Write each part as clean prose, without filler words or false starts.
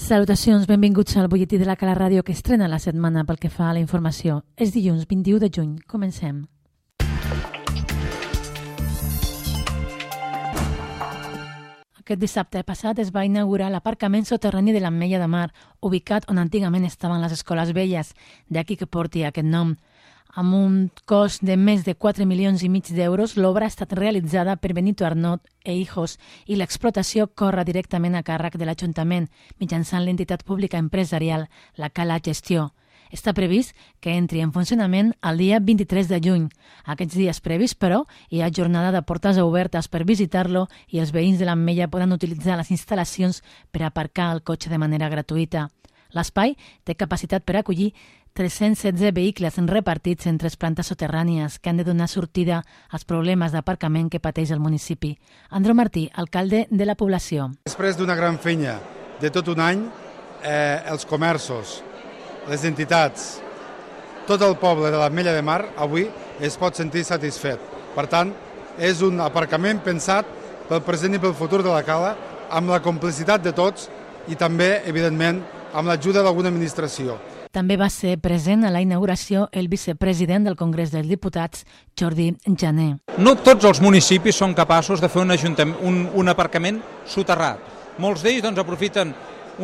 Salutacions, benvinguts al butlletí de la Cala Ràdio que estrena la setmana pel que fa a la informació. És dilluns 21 de juny. Comencem. Aquest dissabte passat es va inaugurar l'aparcament soterrani de l'Ametlla de Mar, ubicat on antigament estaven les escoles velles, d'aquí que porti aquest nom. Amb un cost de més de 4,5 milions d'euros, l'obra ha estat realitzada per Benito Arnot e Hijos i l'explotació corre directament a càrrec de l'Ajuntament mitjançant l'entitat pública empresarial, la Cala Gestió. Està previst que entri en funcionament el dia 23 de juny. Aquests dies previs, però, hi ha jornada de portes obertes per visitar-lo i els veïns de l'Ametlla poden utilitzar les instal·lacions per aparcar el cotxe de manera gratuïta. L'espai té capacitat per acollir 316 vehicles repartits en 3 plantes soterrànies que han de donar sortida als problemes d'aparcament que pateix el municipi. Andreu Martí, alcalde de la població. Després d'una gran feina de tot un any, els comerços, les entitats, tot el poble de l'Ametlla de Mar avui es pot sentir satisfet. Per tant, és un aparcament pensat pel present i pel futur de la Cala, amb la complicitat de tots i també, evidentment, amb l'ajuda d'alguna administració. També va ser present a la inauguració el vicepresident del Congrés dels Diputats, Jordi Jané. No tots els municipis són capaços de fer un aparcament soterrat. Molts d'ells aprofiten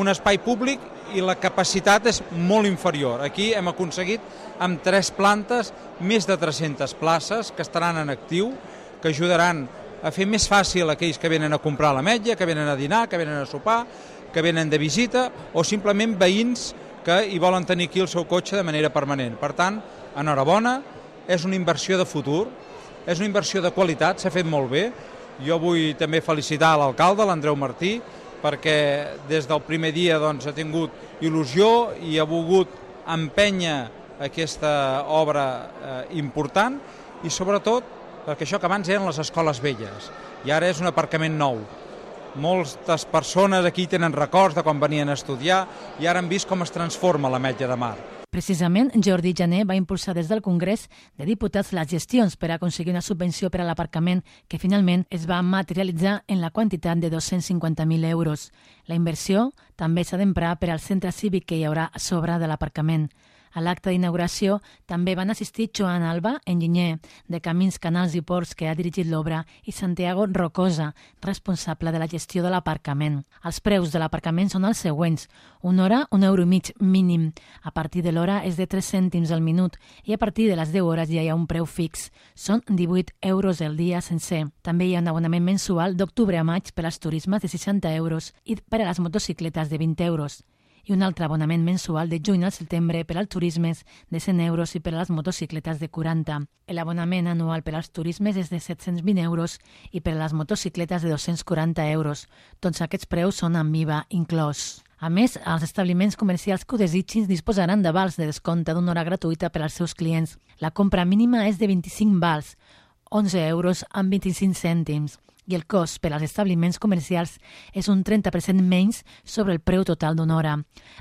un espai públic i la capacitat és molt inferior. Aquí hem aconseguit amb 3 plantes més de 300 places que estaran en actiu, que ajudaran a fer més fàcil aquells que venen a comprar a l'Ametlla, que venen a dinar, que venen a sopar, que venen de visita o simplement veïns que hi volen tenir aquí el seu cotxe de manera permanent. Per tant, enhorabona, és una inversió de futur, és una inversió de qualitat, s'ha fet molt bé. Jo vull també felicitar l'alcalde, l'Andreu Martí, perquè des del primer dia ha tingut il·lusió i ha volgut empènyer aquesta obra important i sobretot perquè això que abans eren les escoles velles i ara és un aparcament nou. Moltes persones aquí tenen records de quan venien a estudiar i ara han vist com es transforma l'Ametlla de Mar. Precisament, Jordi Jané va impulsar des del Congrés de Diputats les gestions per aconseguir una subvenció per a l'aparcament que finalment es va materialitzar en la quantitat de 250.000 euros. La inversió també s'ha d'emprar per al centre cívic que hi haurà a sobre de l'aparcament. A l'acte d'inauguració també van assistir Joan Alba, enginyer de Camins, Canals i Ports, que ha dirigit l'obra, i Santiago Rocosa, responsable de la gestió de l'aparcament. Els preus de l'aparcament són els següents. Una hora, €1,5 mínim. A partir de l'hora és de 3 cèntims al minut i a partir de les 10 hores ja hi ha un preu fix. Són 18 euros el dia sencer. També hi ha un abonament mensual d'octubre a maig per als turismes de 60 euros i per a les motocicletes de 20 euros. I un altre abonament mensual de juny al setembre per als turismes de 100 euros i per a les motocicletes de 40. L'abonament anual per als turismes és de 720 euros i per a les motocicletes de 240 euros. Tots aquests preus són amb IVA inclòs. A més, els establiments comercials que ho desitgin disposaran de vals de descompte d'una hora gratuïta per als seus clients. La compra mínima és de 25 vals, 11 euros amb 25 cèntims. I el cost per als establiments comercials és un 30% menys sobre el preu total d'una hora.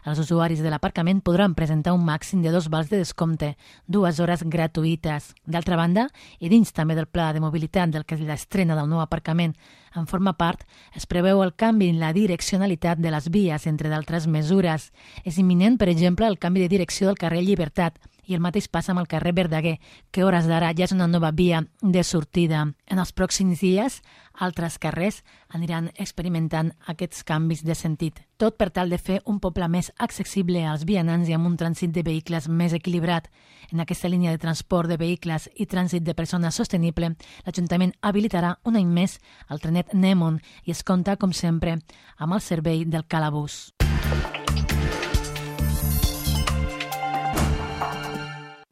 Els usuaris de l'aparcament podran presentar un màxim de 2 vals de descompte, 2 hores gratuïtes. D'altra banda, i dins també del pla de mobilitat del que és l'estrena del nou aparcament en forma part, es preveu el canvi en la direccionalitat de les vies, entre d'altres mesures. És imminent, per exemple, el canvi de direcció del carrer Llibertat, i el mateix passa amb el carrer Verdaguer, que a hores d'ara ja és una nova via de sortida. En els pròxims dies, altres carrers aniran experimentant aquests canvis de sentit. Tot per tal de fer un poble més accessible als vianants i amb un trànsit de vehicles més equilibrat. En aquesta línia de transport de vehicles i trànsit de persones sostenible, l'Ajuntament habilitarà un any més el trenet Nemon i es compta, com sempre, amb el servei del Calabús.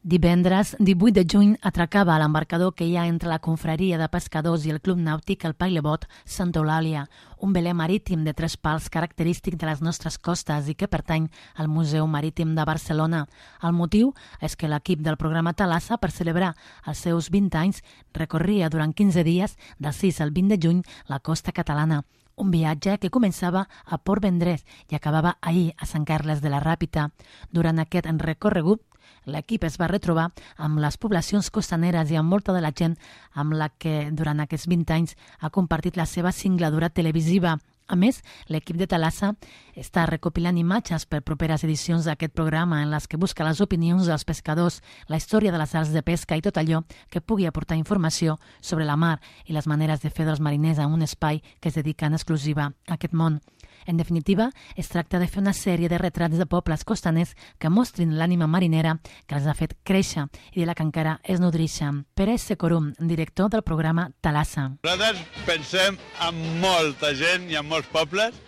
Divendres, 18 de juny, atracava a l'embarcador que hi ha entre la confraria de pescadors i el Club Nàutic el Pailebot Santa Eulàlia, un veler marítim de 3 pals característic de les nostres costes i que pertany al Museu Marítim de Barcelona. El motiu és que l'equip del programa Thalassa, per celebrar els seus 20 anys, recorria durant 15 dies, del 6 al 20 de juny, la costa catalana. Un viatge que començava a Port Vendrell i acabava ahir a Sant Carles de la Ràpita. Durant aquest recorregut, l'equip es va retrobar amb les poblacions costaneres i amb molta de la gent amb la que durant aquests 20 anys ha compartit la seva singladura televisiva, A més, l'equip de Thalassa està recopilant imatges per properes edicions d'aquest programa en les que busca les opinions dels pescadors, la història de les arts de pesca i tot allò que pugui aportar informació sobre la mar i les maneres de fer dels mariners en un espai que es dedica en exclusiva a aquest món. En definitiva, es tracta de fer una sèrie de retrats de pobles costaners que mostrin l'ànima marinera que els ha fet créixer i de la que encara es nodreixen. Pere Secorum, director del programa Thalassa. Nosaltres pensem en molta gent i en molts pobles.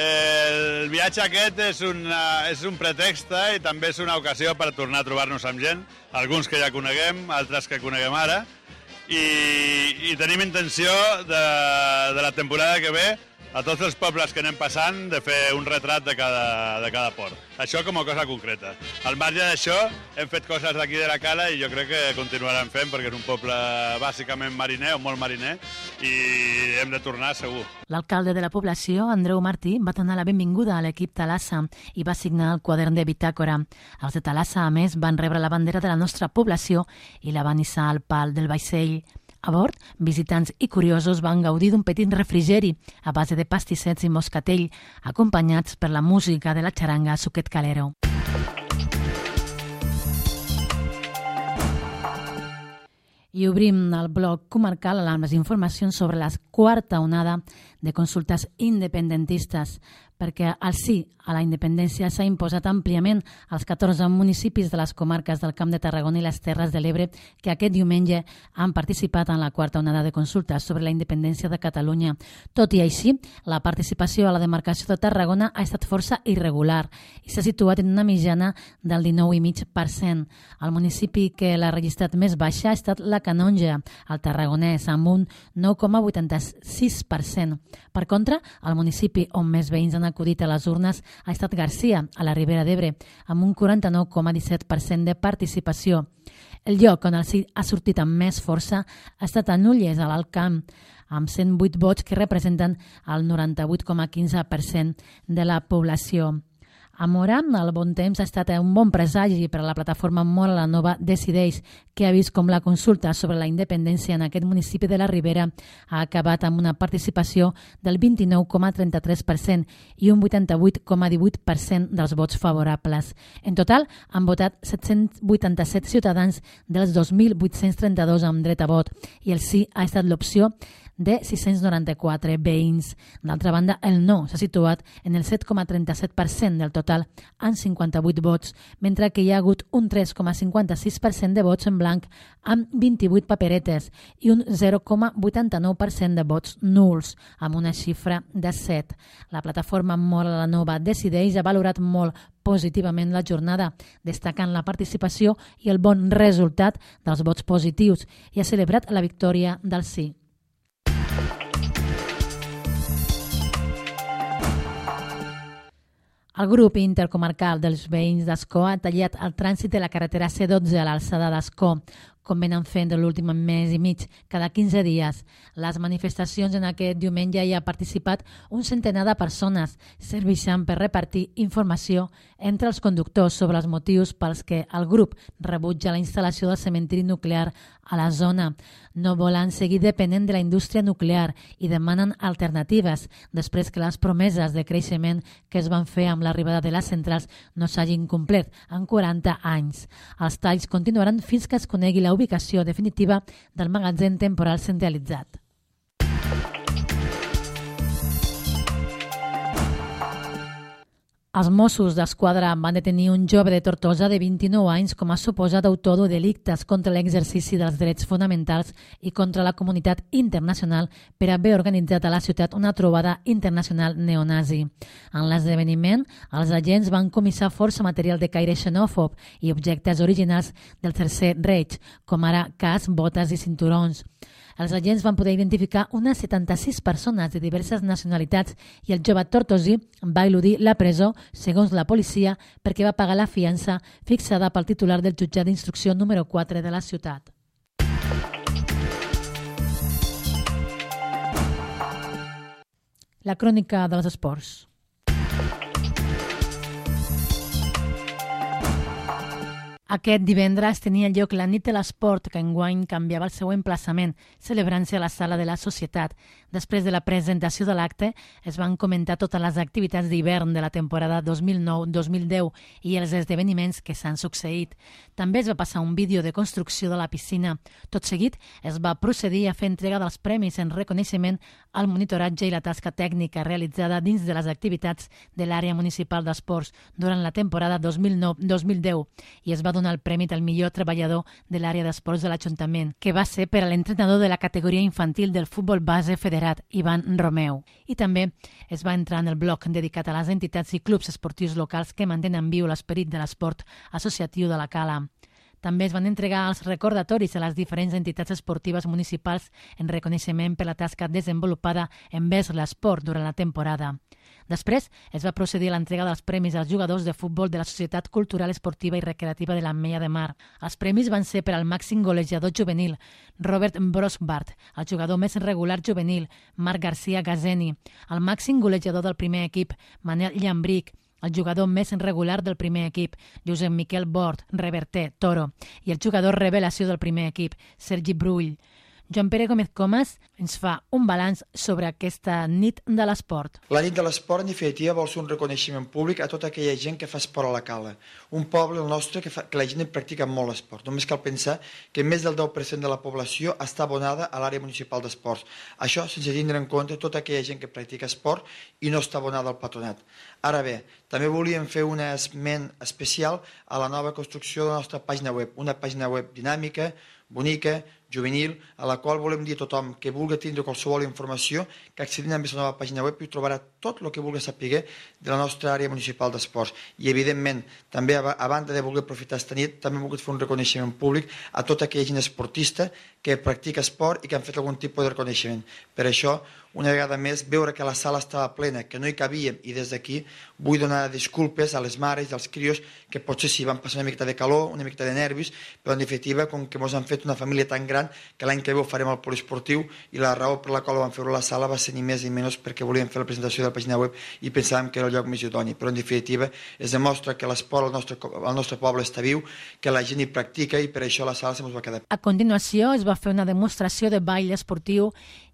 El viatge aquest és un pretext i també és una ocasió per tornar a trobar-nos amb gent, alguns que ja coneguem, altres que coneguem ara, i tenim intenció de la temporada que ve a tots els pobles que anem passant de fer un retrat de cada port. Això com a cosa concreta. Al marge d'això, hem fet coses d'aquí de la Cala i jo crec que continuarem fent perquè és un poble bàsicament mariner o molt mariner i hem de tornar segur. L'alcalde de la població, Andreu Martí, va donar la benvinguda a l'equip Thalassa i va signar el quadern de bitàcora. Els de Thalassa, a més, van rebre la bandera de la nostra població i la van hissar al pal del vaixell. A bord, visitants i curiosos van gaudir d'un petit refrigeri a base de pastissets i moscatell, acompanyats per la música de la xaranga Suquet Calero. I obrim el bloc comarcal amb les informacions sobre la quarta onada de consultes independentistes, perquè el sí a la independència s'ha imposat àmpliament als 14 municipis de les comarques del Camp de Tarragona i les Terres de l'Ebre que aquest diumenge han participat en la quarta onada de consultes sobre la independència de Catalunya. Tot i així, la participació a la demarcació de Tarragona ha estat força irregular i s'ha situat en una mitjana del 19,5%. El municipi que l'ha registrat més baixa ha estat la Canonja, el tarragonès, amb un 9,86%. Per contra, el municipi on més veïns han acudit a les urnes ha estat Garcia, a la Ribera d'Ebre, amb un 49,17% de participació. El lloc on el sí ha sortit amb més força ha estat a Nulles, a l'Alt Camp, amb 108 vots que representen el 98,15% de la població. A Móra, el bon temps ha estat un bon presagi per a la plataforma Móra la Nova Decideix, que ha vist com la consulta sobre la independència en aquest municipi de la Ribera ha acabat amb una participació del 29,33% i un 88,18% dels vots favorables. En total, han votat 787 ciutadans dels 2.832 amb dret a vot i el sí ha estat l'opció de 694 veïns. D'altra banda, el no s'ha situat en el 7,37% del total, amb 58 vots, mentre que hi ha hagut un 3,56% de vots en blanc amb 28 paperetes i un 0,89% de vots nuls, amb una xifra de 7. La plataforma Móra la Nova Decideix ha valorat molt positivament la jornada, destacant la participació i el bon resultat dels vots positius i ha celebrat la victòria del sí. El grup intercomarcal dels veïns d'Ascó ha tallat el trànsit de la carretera C12 a l'alçada d'Ascó, com venen fent l'últim mes i mig, cada 15 dies. Les manifestacions en aquest diumenge hi ha participat un centenar de persones, servixen per repartir informació entre els conductors sobre els motius pels que el grup rebutja la instal·lació del cementiri nuclear a la zona. No volen seguir depenent de la indústria nuclear i demanen alternatives després que les promeses de creixement que es van fer amb l'arribada de les centrals no s'hagin complert en 40 anys. Els talls continuaran fins que es conegui la ubicació definitiva del magatzem temporal centralitzat. Els Mossos d'Esquadra van detenir un jove de Tortosa de 29 anys com a suposat autor de delictes contra l'exercici dels drets fonamentals i contra la comunitat internacional per haver organitzat a la ciutat una trobada internacional neonazi. En l'esdeveniment, els agents van comissar força material de caire xenòfob i objectes originals del Tercer Reich, com ara cascs, botes i cinturons. Els agents van poder identificar unes 76 persones de diverses nacionalitats i el jove tortosí va eludir la presó, segons la policia, perquè va pagar la fiança fixada pel titular del jutjat d'instrucció número 4 de la ciutat. La crònica dels esports. Aquest divendres tenia lloc la nit de l'esport, que enguany canviava el seu emplaçament, celebrant-se a la sala de la Societat. Després de la presentació de l'acte, es van comentar totes les activitats d'hivern de la temporada 2009-2010 i els esdeveniments que s'han succeït. També es va passar un vídeo de construcció de la piscina. Tot seguit, es va procedir a fer entrega dels premis en reconeixement al monitoratge i la tasca tècnica realitzada dins de les activitats de l'àrea municipal d'esports durant la temporada 2009-2010 i es va donar el premi al millor treballador de l'àrea d'esports de l'Ajuntament, que va ser per a l'entrenador de la categoria infantil del futbol base federat, Ivan Romeu. I també es va entrar en el bloc dedicat a les entitats i clubs esportius locals que mantenen viu l'esperit de l'esport associatiu de la Cala. També es van entregar els recordatoris a les diferents entitats esportives municipals en reconeixement per la tasca desenvolupada envers l'esport durant la temporada. Després es va procedir a l'entrega dels premis als jugadors de futbol de la Societat Cultural Esportiva i Recreativa de l'Ametlla de Mar. Els premis van ser per al màxim golejador juvenil, Robert Brosbart, el jugador més regular juvenil, Marc García Gazeni, el màxim golejador del primer equip, Manel Llambric, el jugador més regular del primer equip, Josep Miquel Bort, Reverter, Toro, i el jugador revelació del primer equip, Sergi Brull. Joan Pere Gómez Comas ens fa un balanç sobre aquesta nit de l'esport. La nit de l'esport, en definitiva, vol ser un reconeixement públic a tota aquella gent que fa esport a la Cala. Un poble, el nostre, que la gent practica molt esport. Només cal pensar que més del 10% de la població està abonada a l'àrea municipal d'esports. Això sense tindre en compte tota aquella gent que practica esport i no està abonada al patronat. Ara bé, també volíem fer un esment especial a la nova construcció de la nostra pàgina web. Una pàgina web dinàmica, bonica, juvenil, a la qual volem dir a tothom que vulgui tindre qualsevol informació, que accedint a la nova pàgina web i trobarà tot el que vulgui saber de la nostra àrea municipal d'esports. I, evidentment, també, a banda de voler aprofitar aquesta nit, també hem volgut fer un reconeixement públic a tota aquella gent esportista que practica esport i que han fet algun tipus de reconeixement. Per això, una vegada més, veure que la sala estava plena, que no hi cabíem, i des d'aquí vull donar disculpes a les mares i als crios que potser sí van passar una miqueta de calor, una miqueta de nervis, però en definitiva, com que ens han fet una família tan gran, que l'any que ve ho farem al poliesportiu i la raó per la qual ho vam fer a la sala va ser ni més ni menys perquè volíem fer la presentació de la pàgina web i pensàvem que era el lloc més idoni, però en definitiva es demostra que l'esport al nostre poble està viu, que la gent hi practica i per això la sala se'ns va quedar. A continuació es va fer una demostració de ball esportiu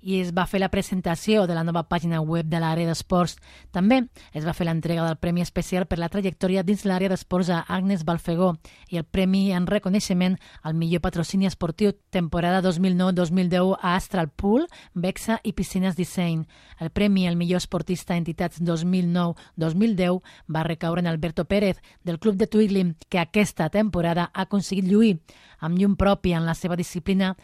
i es va fer la presentació de la nova pàgina web de l'àrea d'esports. També es va fer l'entrega del Premi Especial per la trajectòria dins l'àrea d'esports a Agnes Balfegó i el Premi en reconeixement al millor patrocini esportiu temporada 2009-2010 a Astral Pool, Bexa i Piscines Disseny. El Premi al millor esportista entitats 2009-2010 va recaure en Alberto Pérez, del Club de Twiglim, que aquesta temporada ha aconseguit lluir amb llum propi en la seva disciplina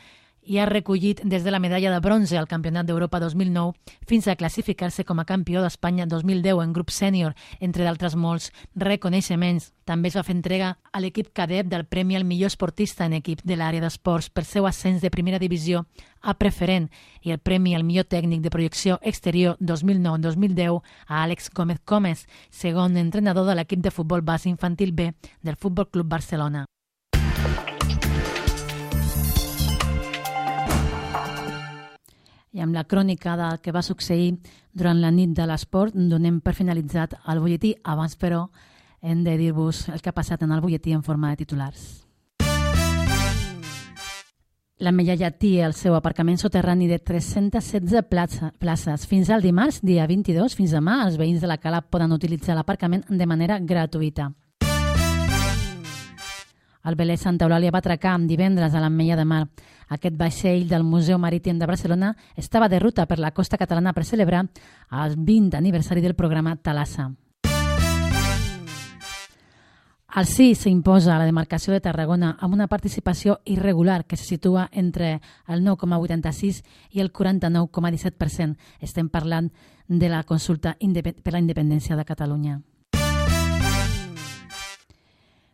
i ha recollit des de la medalla de bronze al Campionat d'Europa 2009 fins a classificar-se com a campió d'Espanya 2010 en grup sènior, entre d'altres molts reconeixements. També es va fer entrega a l'equip cadet del Premi al millor esportista en equip de l'àrea d'esports per seu ascens de primera divisió a preferent i el Premi al millor tècnic de projecció exterior 2009-2010 a Àlex Gómez Comes, segon entrenador de l'equip de futbol base infantil B del Futbol Club Barcelona. I amb la crònica del que va succeir durant la nit de l'esport donem per finalitzat el butlletí. Abans, però, hem de dir-vos el que ha passat en el butlletí en forma de titulars. L'Ametlla ja té el seu aparcament soterrani de 316 places. Fins al dimarts, dia 22, fins demà, els veïns de la Cala poden utilitzar l'aparcament de manera gratuïta. El velè Santa Eulàlia va atracar divendres a l'Ametlla de Mar. Aquest vaixell del Museu Marítim de Barcelona estava de ruta per la costa catalana per celebrar el 20 aniversari del programa Thalassa. El sí s'imposa a la demarcació de Tarragona amb una participació irregular que se situa entre el 9,86 i el 49,17%. Estem parlant de la consulta per la independència de Catalunya.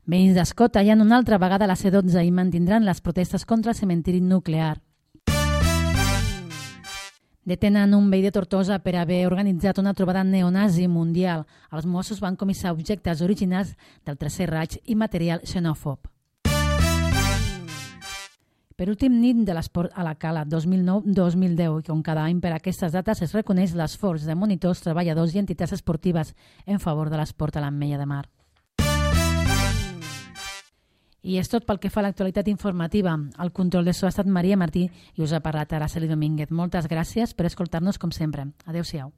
Veïns d'Escó tallen una altra vegada la C12 i mantindran les protestes contra el cementiri nuclear. Detenen un veí de Tortosa per haver organitzat una trobada neonazi mundial. Els Mossos van comissar objectes originals del Tercer Reich i material xenòfob. Per últim, nit de l'esport a la Cala 2009-2010, i com cada any per aquestes dates es reconeix l'esforç de monitors, treballadors i entitats esportives en favor de l'esport a l'Ametlla de Mar. I és tot pel que fa a l'actualitat informativa. Al control de so ha estat Maria Martí i us ha parlat Araceli Domínguez. Moltes gràcies per escoltar-nos com sempre. Adéu-siau.